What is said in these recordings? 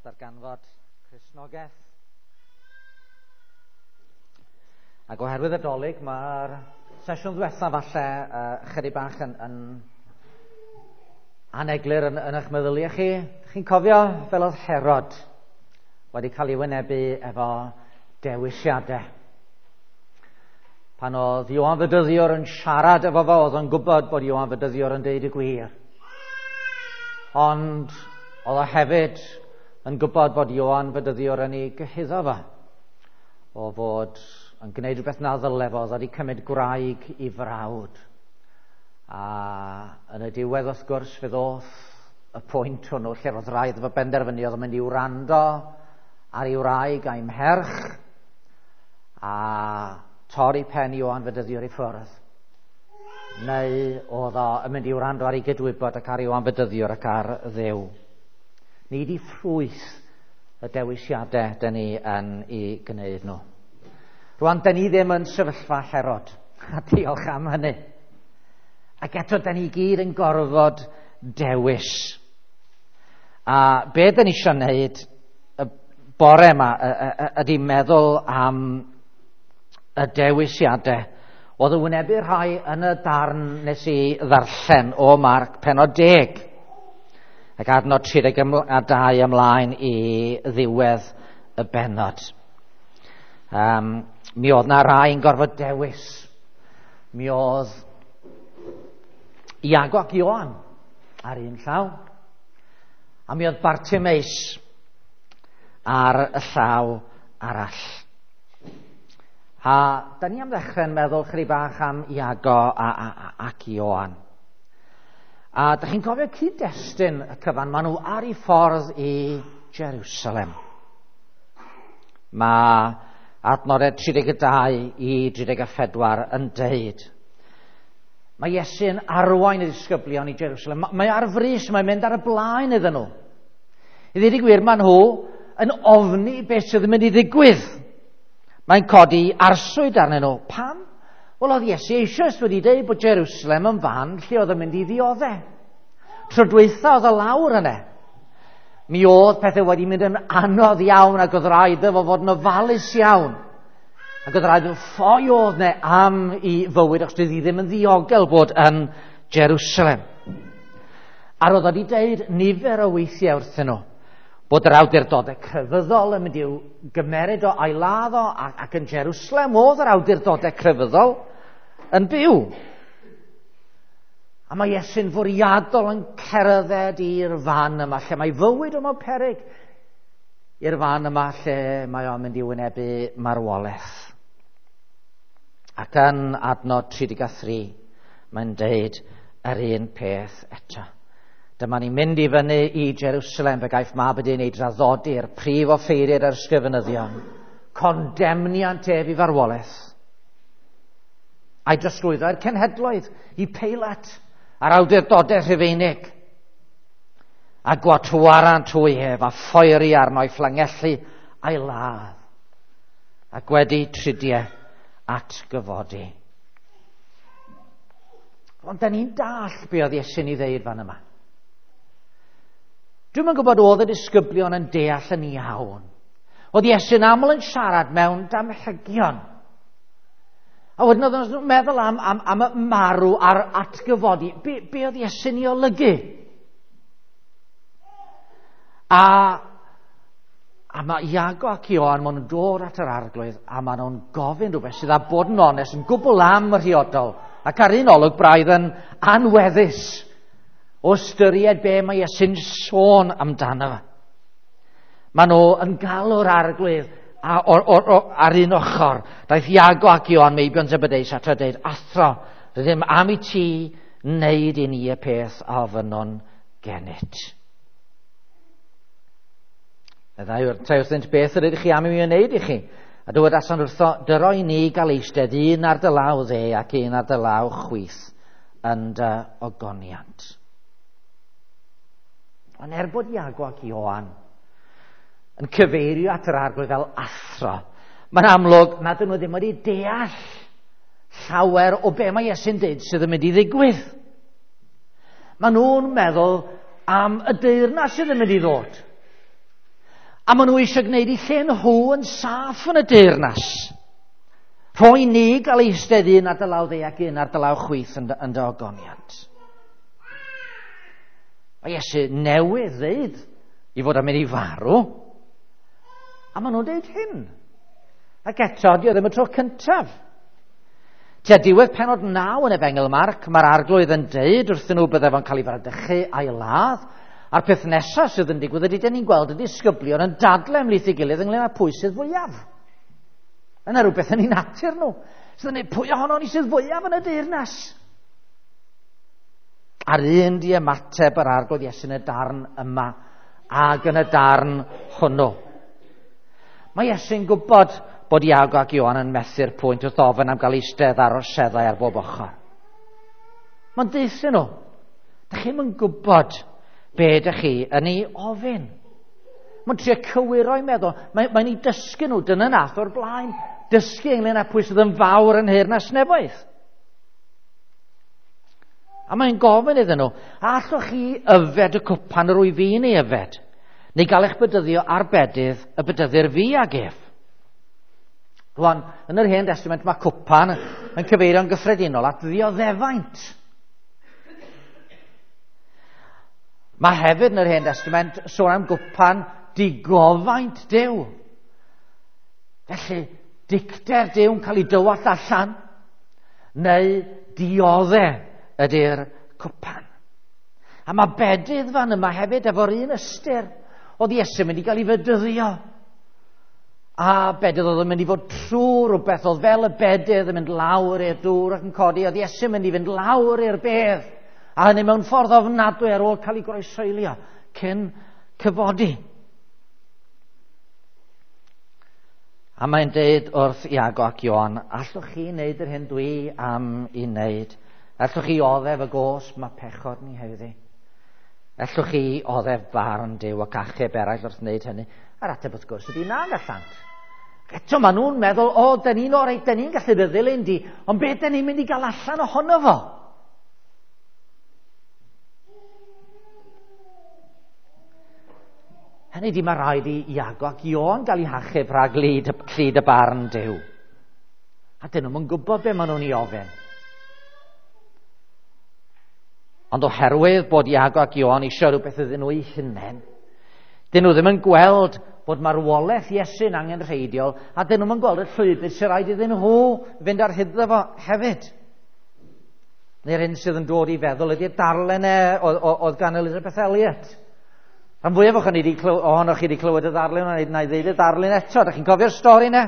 Darganfod Cristnogaeth. Ac oherwydd y Dolig, mae'r sesiwn ddiwetha falle chydig bach yn aneglur yn eich meddyliau chi. Chi'n cofio fel oedd Herod wedi cael ei wynebu efo dewisiadau. Pan oedd Ioan Fedyddiwr yn siarad efo fo, oedd o'n gwybod bod Ioan Fedyddiwr yn deud y gwir. Ond oedd o hefyd yn gwybod bod Ioan Fedyddiwr yn ei gyhuddo fo o fod yn gwneud rhywbeth na ddyle fo, oedd wedi cymryd gwraig i frawd. A yn y diwedd, wrth gwrs, fe ddoth y pwynt hwnnw lle roedd rhaid efo benderfynu oedd yn mynd i wrando ar ei wraig a'i mherch a torri pen Ioan Fedyddiwr i ffwrdd. Neu oedd o yn mynd i wrando ar ei gydwybod ac ar Ioan Fedyddiwr ac ar Dduw. Nid i ffrwyth y dewisiadau dyn ni yn ei gwneud nhw. Rwan, dyn ni ddim yn sefyllfa Herod, a diolch am hynny. Ac eto, dyn ni gyd yn gorfod dewis. A be dyn ni eisiau wneud y bore yma ydy meddwl am y dewisiadau oedd yn wynebu rhai yn y darn nes i ddarllen o Marc pennod 10. Ac adnod 32 ymlaen i ddiwedd y bennod. Mi oedd na rai yn gorfod dewis. Mi oedd Iago ac Ioan ar un llaw. A mi oedd Bartimeus ar y llaw arall. A da ni am ddechrau'n meddwl chydig bach am Iago ac Ioan. A da chi'n cofio cyd-destun y cyfan, maen nhw ar eu ffordd i Jerusalem. Mae adnodau 32 i 34 yn deud. Mae Iesu'n arwain y disgyblion i Jerusalem. Mae ar frys, mae'n mynd ar y blaen iddyn nhw. I ddweud y gwir, maen nhw yn ofni beth sydd yn mynd i ddigwydd. Mae'n codi arswyd arnyn nhw. Pam? Wel, oedd Iesu eisoes wedi dweud bod Jerusalem yn fan lle oedd yn mynd i ddioddau. Tro dwytha oedd y lawr yna. Mi oedd pethau wedi mynd yn anodd iawn ac oedd rhaid iddo fo fod yn ofalus iawn. Ac oedd rhaid iddo ffoi oedd yna am i fywyd, achos doedd hi ddim yn ddiogel bod yn Jerusalem. A roedd wedi dweud nifer o weithiau wrthyn nhw bod yr awdurdodau crefyddol yn mynd i'w gymeryd o a'i ladd o, ac yn Jerusalem oedd yr awdurdodau crefyddol yn byw. A mae Iesu'n fwriadol yn cerdded i'r fan yma, lle mae fywyd o mewn peryg, i'r fan yma lle mae o'n mynd i wynebu marwolaeth. Ac yn adnod 33, mae'n deud yr un peth eto. Dyma ni'n mynd i fyny i Jerusalem, fe gaiff mab y dyn ei draddodi'r prif offeiriad a'r ysgrifenyddion. Condemniant ef i farwolaeth. A'i drosglwyddo i'r cenhedloedd, i Peilat, a'r awdurdodau Rhufeinig. A gwatwarant hwy ef, a phoeri arno i fflangellu a'i ladd. Ac wedi tridiau atgyfodi. Ond da ni'n dallt be oedd Iesu'n ei ddeud fan yma. Dwi'm yn gwybod oedd y disgyblion yn deall yn iawn. Oedd Iesu'n aml yn siarad mewn damhegion. A wedyn oedd nhw'n meddwl am y marw a'r atgyfodi. Be oedd Iesu'n ei olygu? A mae Iago ac Ioan, maen nhw'n dod at yr arglwydd a maen nhw'n gofyn rhywbeth sydd â bod yn onest yn gwbl amhriodol ac ar un olwg braidd yn anweddus o ystyried be mae Iesu'n sôn amdano. Maen nhw yn galw'r arglwydd ar un ochr. Daeth Iago ac Ioan meibion Zebedeus at a dweud, Athro, rydym am i ti wneud i ni y peth a ofynnwn gennyt. Meddai wrthynt, beth yr ydych chi am i mi wneud i chi? A dywedason wrtho, dyro i ni gael eistedd un ar dy law dde ac un ar dy law chwith yn dy ogoniant. Ond er bod Iago ac Ioan yn cyfeirio at yr arglwydd fel athro, mae'n amlwg nad ydyn nhw ddim wedi deall llawer o be mae Iesu'n deud sydd yn mynd i ddigwydd. Maen nhw'n meddwl am y deyrnas sydd yn mynd i ddod. A maen nhw eisiau gwneud eu lle nhw yn saff yn y deyrnas. Rhoi ni gael eistedd un ar dy law dde ac un ar dy law chwith yn dy ogoniant. Mae Iesu newydd ddeud i fod am mynd i farw. A maen nhw'n deud hyn. Ac eto, di o ddim y tro cyntaf. Tua diwedd pennod 9 yn Efengyl Marc, mae'r arglwydd yn deud wrthyn nhw bydde fo'n cael ei fradychu a'i ladd. A'r peth nesaf sydd yn digwydd ydy, dyn ni'n gweld y disgyblion yn dadle ymhlith ei gilydd ynglyn â pwy sydd fwyaf. Yna rhywbeth yn ei natur nhw. Sydd yn ei pwy ohono ni sydd fwyaf yn y deyrnas. A'r un di ymateb yr arglwydd Iesu yn y darn yma ac yn y darn hwnnw. Mae Iesu'n gwybod bod Iago ac Ioan yn methu'r pwynt wrth ofyn am gael eistedd ar orseddau ar bob ochr. Mae'n deuthyn nhw. Dych chi'm yn gwybod be dych chi yn ei ofyn. Mae'n trio cywiro'i meddwl. Mae'n ei dysgu nhw, dyna nath o'r blaen. Dysgu ynglyn â pwy sydd yn fawr yn nheyrnas nefoedd. A mae'n gofyn iddyn nhw, a allwch chi yfed y cwpan yr wyf fi'n ei yfed? Neu gael eich bedyddio ar bedydd y bedyddir fi ag ef? Rwan, yn yr Hen Testament mae cwpan yn cyfeirio'n gyffredinol at ddioddefaint. Mae hefyd yn yr Hen Testament sôn am gwpan digofaint Duw. Felly, dicter Duw'n cael ei dywallt allan, neu diodde ydy'r cwpan. A mae bedydd fan yma hefyd efo'r un ystyr. Oedd Iesu'n mynd i gael ei fedyddio. A bedydd oedd yn mynd i fod trwy rhywbeth, oedd fel y bedydd yn mynd lawr i'r dŵr ac yn codi, oedd Iesu'n mynd i fynd lawr i'r bedd. A hynny mewn ffordd ofnadwy ar ôl cael ei groesoelio cyn cyfodi. A mae'n deud wrth Iago ac Ioan, allwch chi wneud yr hyn dwi am i wneud? Allwch chi oddef y gosb mae pechod ni heddi? Allwch chi oddef barn Duw ac achub eraill wrth wneud hynny? A'r ateb wrth gwrs ydy na gallant. Eto maen nhw'n meddwl, o, dyn ni'n orau, dyn ni'n gallu dy ddilyn di, ond beth dyn ni'n mynd i gael allan ohono fo? Hynny di mae rhaid i Iago ac Ioan gael eu hachub rhag lid, llid y barn Duw. A dyn nhw'n gwybod be maen nhw'n ei ofyn. Ond oherwydd bod Iago ac Ioan eisiau rhywbeth iddyn nhw eu hunain, dyn nhw ddim yn gweld bod marwolaeth Iesu'n angenrheidiol, a dyn nhw'n gweld y llwybr sy'n rhaid iddyn nhw fynd ar hyd fo hefyd. Neu'r hyn sydd yn dod i feddwl ydy'r darllen e oedd gan Elizabeth Elliot. Rhan fwyaf ohonoch chi wedi clywed y ddarlun, ond na i ddeud y darlun eto. Dach chi'n cofio'r stori yna?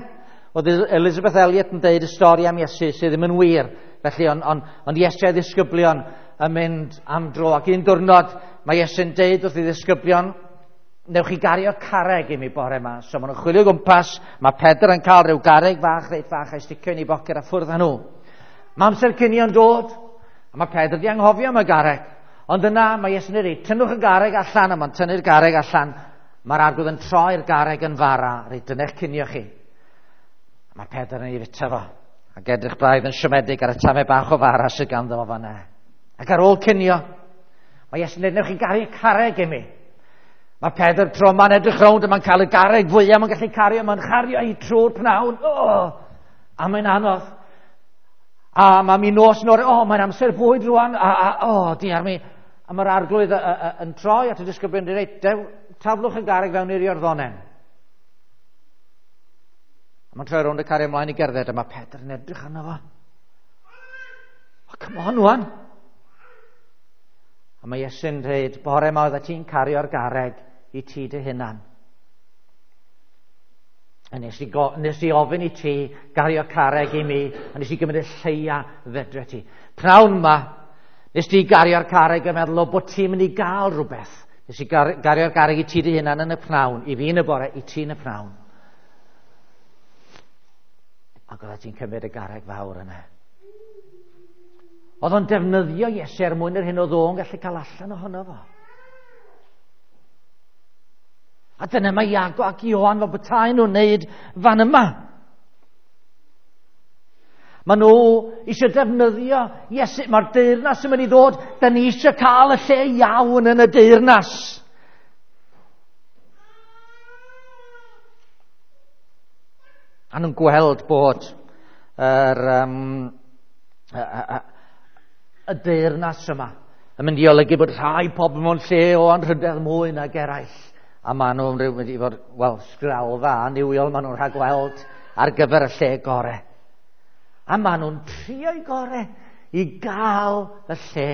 Oedd Elizabeth Elliot yn deud y stori am Iesu sydd ddim yn wir. Felly, ond Iesu a'i ddisgyblion yn mynd am dro. Ac un diwrnod mae Iesu'n deud wrth ei ddisgyblion, newch chi gario carreg i mi bore yma. So maen nhw'n chwilio gwmpas, mae Pedr yn cael rhyw garreg fach, reit fach, a'i sticio yn ei boced a ffwrdd â nhw. Mae amser cinio'n dod, a mae Pedr di anghofio am y garreg. Ond yna mae Iesu'n dweud, tynnwch y garreg allan, a mae'n tynnu'r garreg allan. Mae'r arglwydd yn troi'r garreg yn fara, reit, dyna eich cinio chi. A mae Pedr yn ei fita fo, ac edrych braidd yn siomedig ar y tamau bach o fara sydd ganddo fo fan'na. Ac ar ôl cinio, mae Iesu'n dweud, newch chi gario carreg i mi. Mae Pedr tro yma'n edrych rownd, a mae'n cael y garreg fwyaf, mae'n gallu cario, mae'n chario hi trwy'r pnawn. Oh, a mae'n anodd. A mae mi nos yn o'r, mae'n amser bwyd rwan, a diar mi. A mae'r arglwydd yn troi at y disgyblion yn dweud, taflwch y garreg fewn i'r Iorddonen. A mae'n troi rownd y cario ymlaen i gerdded, a mae Pedr yn edrych arno fo. O, come on, wan. A mae Iesu'n dweud, bore yma oeddet ti'n cario'r garreg i ti dy hunan. A nes i ofyn i ti gario carreg i mi, a nes i gymryd y lleia fedre ti. Pnawn yma, nes ti gario'r carreg yn meddwl o bod ti'n mynd i gael rhywbeth. Nes i gario'r garreg i ti dy hunan yn y pnawn, i fi yn y bore, i ti yn y pnawn. Ac oeddet ti'n cymryd y garreg fawr yna. Oedd o'n defnyddio Iesu er mwyn yr hyn oedd o'n gallu cael allan ohono fo. A dyna mae Iago ac Ioan fel petai nhw'n wneud fan yma. Maen nhw eisiau defnyddio Iesu. Mae'r deyrnas yn mynd i ddod. Da ni eisiau cael y lle iawn yn y deyrnas. A nhw'n gweld bod yr, y deyrnas yma yn mynd i olygu bod rhai pobl mewn lle o anrhydedd mwy nag eraill. A maen nhw'n rhyw mynd i fod, wel, sgralfa annuwiol maen nhw'n rhagweld ar gyfer y lle gore. A maen nhw'n trio'i gore i gael y lle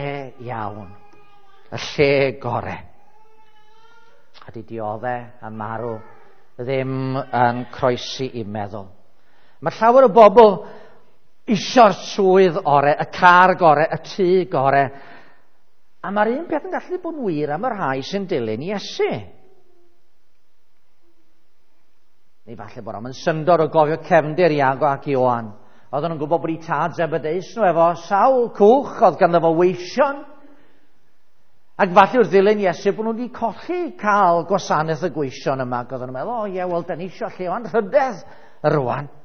iawn, y lle gore. A di diodde a marw ddim yn croesi i meddwl. Mae llawer o bobl isio'r swydd ore, y car gore, y tŷ gore. A mae'r un peth yn gallu bod yn wir am y rhai sy'n dilyn Iesu. Neu falle bod o'n syndod o gofio cefndir Iago ac Ioan. Oedden nhw'n gwybod bod eu tad Zebedeus nhw efo sawl cwch, oedd ganddo fo weision. Ac falle wrth ddilyn Iesu bod nhw wedi colli cael gwasanaeth y gweision yma. Ac oedden nhw'n meddwl, o ie, wel, da ni eisiau lle o anrhydedd rwan.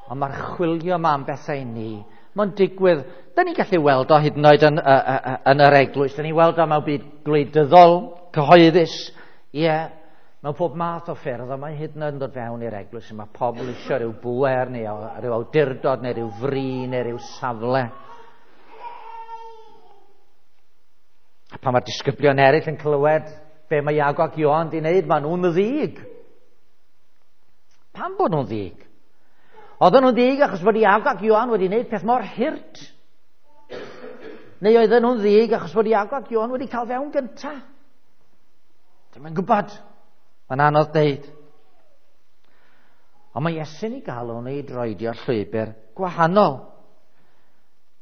Ond mae'r chwilio yma am bethau i ni. Mae'n digwydd, da ni'n gallu weld o hyd yn oed yn, yn yr eglwys, da ni'n weld o mewn byd gwleidyddol, cyhoeddus, ie, yeah, mewn pob math o ffyrdd, ond mae hyd yn oed yn dod fewn i'r eglwys, mae pobl eisiau rhyw bŵer, neu rhyw awdurdod, neu rhyw fri, neu rhyw safle. A pan mae'r disgyblion eraill yn clywed be mae Iago ac Ioan di wneud, maen nhw'n ddig. Pam bod nhw'n ddig? Oedden nhw'n ddig achos bod Iago ac Ioan wedi wneud peth mor hurt? Neu oedden nhw'n ddig achos bod Iago ac Ioan wedi cael fewn gynta? Dwi'm yn gwybod. Mae'n anodd deud. Ond mae Iesu'n ei galw nhw i droedio llwybr gwahanol.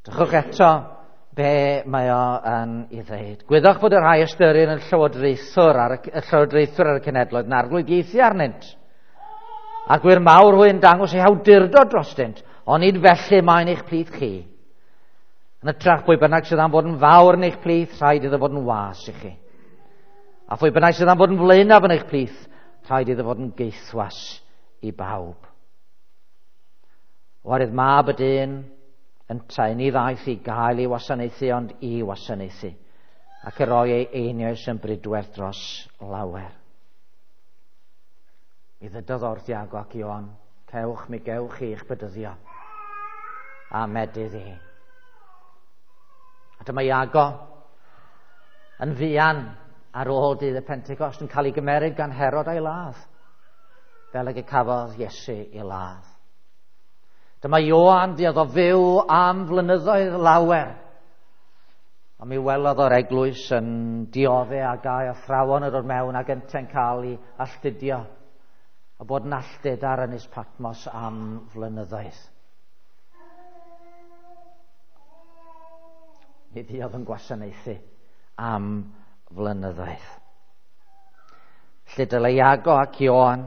Drychwch eto be mae o yn ei ddeud. Gwyddwch bod y rhai ystyrir yn llywodraethwr ar y, llywodraethwr ar y cenedloedd yn arglwyddiaethu arnynt. A gwir mawr hwy'n dangos eu hawdurdod drostynt, ond nid felly mae'n eich plith chi. Yn hytrach pwy bynnag sydd am fod yn fawr yn eich plith, rhaid iddo fod yn was i chi. A phwy bynnag sydd am fod yn flaenaf yn eich plith, rhaid iddo fod yn geithwas i bawb. Oherwydd mab y dyn yntau ni ddaeth i gael ei wasanaethu ond i wasanaethu, ac y roi ei einioes yn bridwerth dros lawer. Mi ddydodd wrth Iago ac Ioan, cewch mi gewch chi eich bedyddio, a medydd i. A dyma Iago yn fuan ar ôl dydd y Pentecost yn cael ei gymeryd gan Herod a'i ladd, fel ag y cafodd Iesu ei ladd. Dyma Ioan fuodd o fyw am flynyddoedd lawer. A mi welodd o'r eglwys yn diodde a gau athrawon yn dod mewn ac yntau'n cael ei alltudio a bod yn alltud ar Ynys Patmos am flynyddoedd. Mi fuodd yn gwasanaethu am flynyddoedd. Lle dylai Iago ac Ioan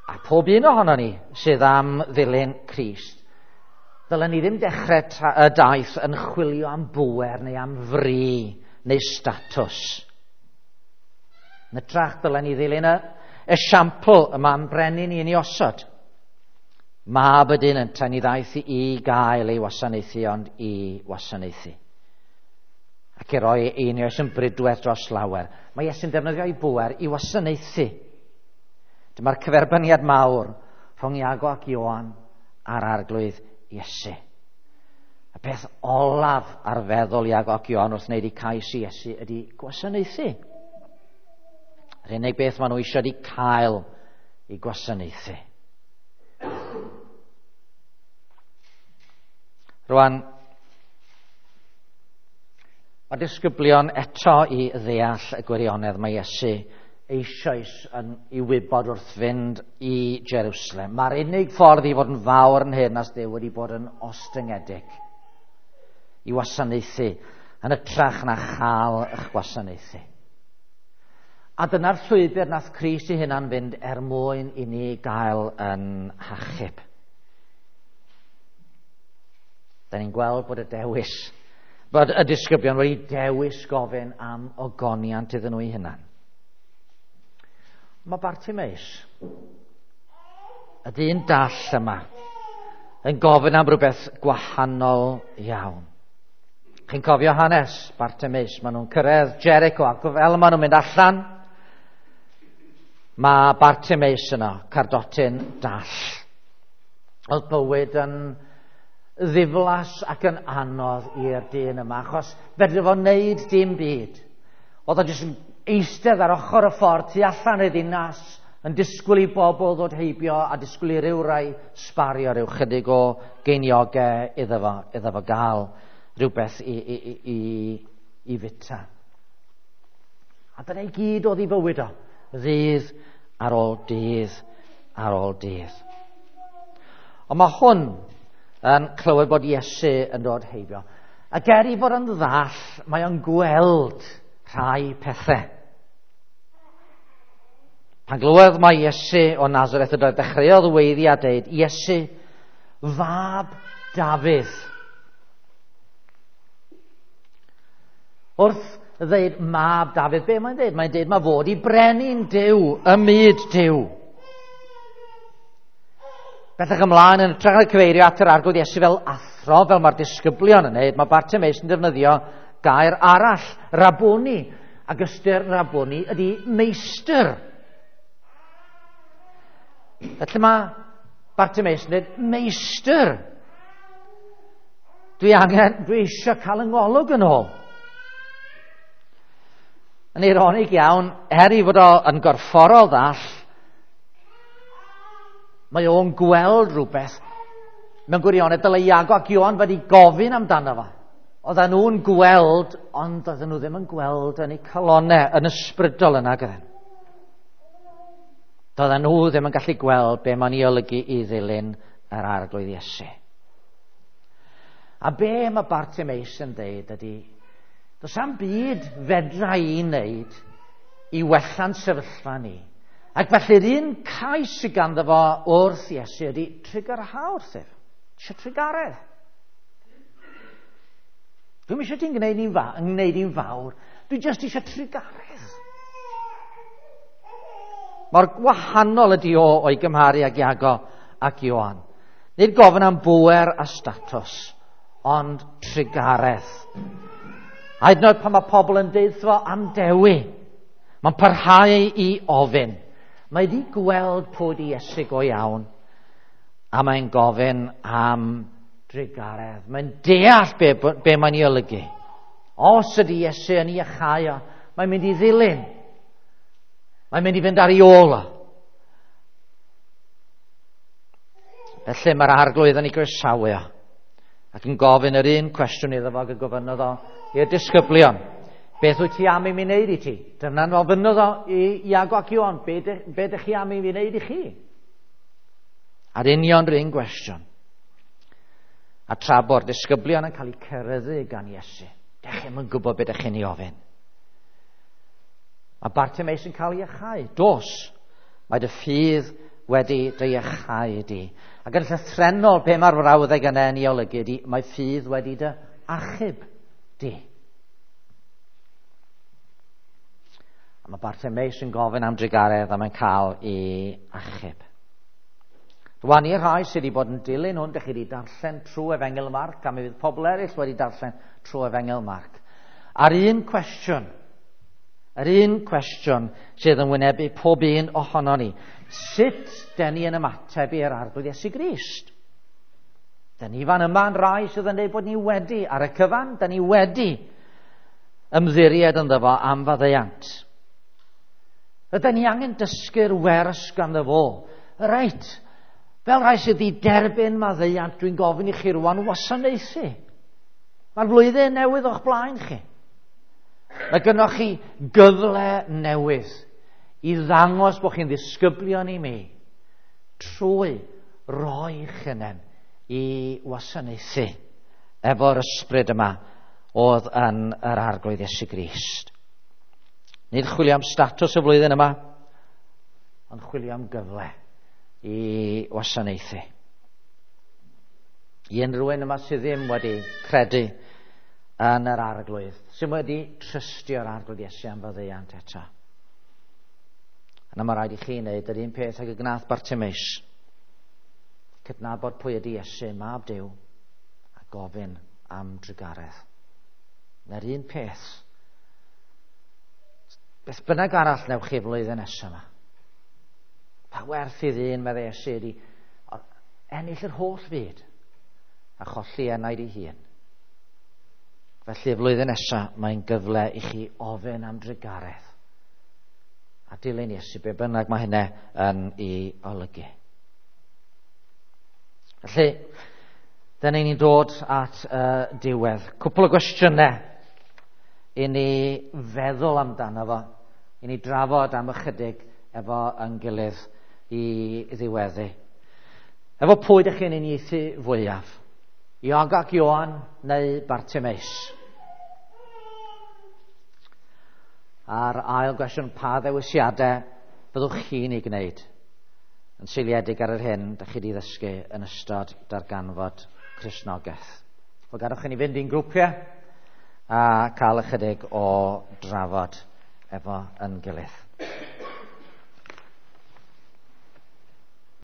a pob un ohono ni sydd am ddilyn Crist, ddylen ni ddim dechrau y daith yn chwilio am bŵer neu am fri neu statws. Yn hytrach dylen ni ddilyn y esiampl y mae'n brenin i ni osod. Mab y dyn yntau ni ddaeth i gael ei wasanaethu ond i wasanaethu. Ac i roi einioes yn bridwerth dros lawer. Mae Iesu'n defnyddio ei bŵer i wasanaethu. Dyma'r cyferbyniad mawr rhwng Iago ac Ioan a'r Arglwydd Iesu. Y peth olaf ar feddwl Iago ac Ioan wrth wneud eu cais i Iesu ydy gwasanaethu. Yr unig beth maen nhw eisiau ydy cael eu gwasanaethu. Rwan, mae disgyblion eto i ddeall y gwirionedd mae Iesu eisoes yn ei wybod wrth fynd i Jerusalem. Mae'r unig ffordd i fod yn fawr yn nheyrnas Dduw wedi bod yn ostyngedig i wasanaethu yn hytrach na chael eich gwasanaethu. A dyna'r llwybr nath Crist ei hunan fynd er mwyn i ni gael yn hachub. Da ni'n gweld bod y dewis, bod y disgyblion wedi dewis gofyn am ogoniant iddyn nhw eu hunan. Mae Bartimeus, y dyn dall yma, yn gofyn am rhywbeth gwahanol iawn. Chi'n cofio hanes Bartimeus, maen nhw'n cyrraedd Jericho ac fel maen nhw'n mynd allan, mae Bartimeus yno, cardotyn dall. Oedd bywyd yn ddiflas ac yn anodd i'r dyn yma, achos fedri fo wneud dim byd. Oedd o jyst yn eistedd ar ochr y ffordd tu allan i'r ddinas, yn disgwyl i bobl ddod heibio a disgwyl i ryw rai sbario rhyw chydig o geiniogau iddo fo gael rhywbeth i fita. A dyna i gyd oedd ei fywyd o, ddydd ar ôl dydd ar ôl dydd. Ond mae hwn yn clywed bod Iesu yn dod heibio. Ac er i fod yn ddall, mae o'n gweld rhai pethau. Pan glywodd mae Iesu o Nazareth yn dod, dechreuodd weiddi a deud, Iesu, fab Dafydd. Wrth ddeud mab Dafydd, be mae'n deud? Mae'n deud mae fod i brenin Duw, ym myd Duw. Bellach ymlaen yn hytrach na cyfeirio at yr Arglwydd Iesu fel athro, fel mae'r disgyblion yn neud, mae Bartimeus yn defnyddio gair arall, Rabboni. Ac ystyr Rabboni ydy meistr. Felly mae Bartimeus yn dweud, meistr, dwi eisiau cael yng ngolwg yn ôl. Yn eironig iawn, er i fod o yn gorfforol ddall, mae o'n gweld rhywbeth mewn gwirionedd dylai Iago ac Ioan wedi gofyn amdano fo. Oedden nhw'n gweld, ond oedden nhw ddim yn gweld yn eu calonnau, yn ysbrydol yna gyda. Doedden nhw ddim yn gallu gweld be mae'n ei olygu i ddilyn yr Arglwydd Iesu. A be mae Bartimeus yn dweud ydy, does am byd fedra i wneud i wella'n sefyllfa ni. Ac felly'r un cais sydd ganddo fo wrth Iesu ydy trugarha wrthyf. Eisiau trugaredd. Dwi'm eisiau ti'n gwneud i'n fawr. Dwi jyst eisiau trugaredd. Mor gwahanol ydy o o'i gymharu ag Iago ac Ioan. Nid gofyn am bŵer a statws, ond trugaredd. A hyd yn oed pan mae pobl yn deud fo am dewi, mae'n parhau i ofyn. Mae wedi gweld pwy di Iesu go iawn, a mae'n gofyn am drugaredd. Mae'n deall be mae'n ei olygu. Os ydy Iesu yn ei iachau o, mae'n mynd i ddilyn. Mae'n mynd i fynd ar ei ôl o. Felly mae'r Arglwydd yn ei groesawu o, ac yn gofyn yr un cwestiwn iddo fo ag y gofynnodd o i'r disgyblion. Beth wyt ti am i mi wneud i ti? Dyna'n ofynnodd o i Iago ac Ioan, be ydych chi am i mi wneud i chi? A'r union yr un gwestiwn. A tra bo'r disgyblion yn cael eu ceryddu gan Iesu, dych chi'm yn gwybod beth ydych chi'n ei ofyn. Mae Bartimeus yn cael ei iachau. Dos, mae dy ffydd wedi dy iachau di. Ac yn llythrennol, be mae'r frawddeg yna yn ei olygu ydy, mae ffydd wedi dy achub di. A mae Bartimeus yn gofyn am drugaredd a mae'n cael ei achub. Rwan i'r rhai sydd wedi bod yn dilyn hwn, dych chi wedi darllen trwy Efengyl Marc, a mi fydd pobl eraill wedi darllen trwy Efengyl Marc. A'r un cwestiwn, sydd yn wynebu pob un ohono ni, sut den ni yn ymateb i'r Arglwydd Iesu Grist? Den ni fan yma yn rai sydd yn dweud bod ni wedi, ar y cyfan, den ni wedi ymddiried ynddo fo am faddeuant. Ydyn ni angen dysgu'r wers ganddo fo. Reit, fel rhai sydd wedi derbyn maddeuant, dwi'n gofyn i chi rwan wasanaethu. Mae'r flwyddyn newydd o'ch blaen chi. Mae gynnoch chi gyfle newydd i ddangos bod chi'n ddisgyblion i mi trwy roi hunain i wasanaethu efo'r ysbryd yma oedd yn yr Arglwydd Iesu Grist. Nid chwilio am statws y flwyddyn yma, ond chwilio am gyfle i wasanaethu. I unrhyw un yma sydd ddim wedi credu yn yr Arglwydd, sydd wedi trystio'r Arglwydd Iesu am faddeuant eto. Yna mae rhaid i chi wneud yr un peth ag y gnath Bartimeus. Cydnabod pwy ydy Iesu, mab Duw, a gofyn am drugaredd. Na'r un peth. Beth bynnag arall newch chi flwyddyn nesaf yma. Pa werth i ddyn, meddai Iesu, ydi ennill yr holl fyd a cholli enaid ei hun. Felly, y flwyddyn nesaf, mae'n gyfle i chi ofyn am drugaredd a dilyn Iesu, be bynnag mae hynna yn ei olygu. Felly, dyna ni'n dod at y diwedd. Cwpl o gwestiynau i ni feddwl amdano fo, i ni drafod am ychydig efo yn gilydd i ddiweddu. Efo pwy ydych chi'n uniaethu fwyaf? Iago ac Ioan neu Bartimeus? A'r ail gwestiwn, pa ddewisiadau fyddwch chi'n ei gwneud yn seiliedig ar yr hyn ydych chi wedi ddysgu yn ystod darganfod Cristnogaeth? Wel, gadwch chi ni fynd i'n grwpiau a cael ychydig o drafod efo yn gilydd.